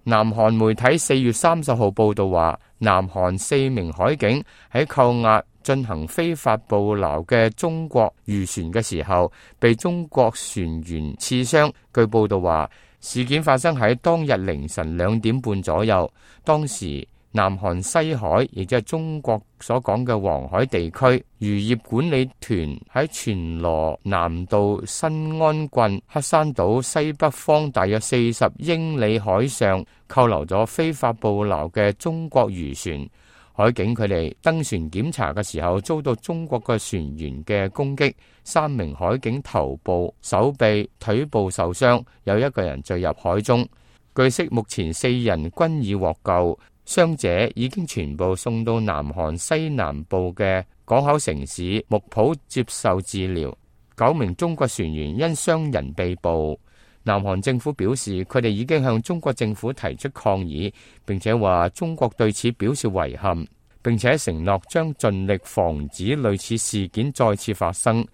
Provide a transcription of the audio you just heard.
南韓媒體4月30號報道話，南韓4名海警喺扣押進行非法捕撈嘅中國漁船嘅時候，被中國船員刺傷。據報道話，事件發生喺當日凌晨2點半左右。當時南韓西海，亦即係中國所講嘅黃海地區，漁業管理團喺全羅南道新安郡黑山島西北方大約40英里海上扣留咗非法捕撈嘅中國漁船。海警佢哋登船檢查嘅時候，遭到中國嘅船員嘅攻擊，3名海警頭部、手臂、腿部受傷，有1個人墜入海中。據悉，目前4人均已獲救。傷者已經全部送到南韓西南部嘅港口城市木浦接受治療。9名中國船員因傷人被捕。南韓政府表示，佢哋已經向中國政府提出抗議，並且話中國對此表示遺憾，並且承諾將盡力防止類似事件再次發生。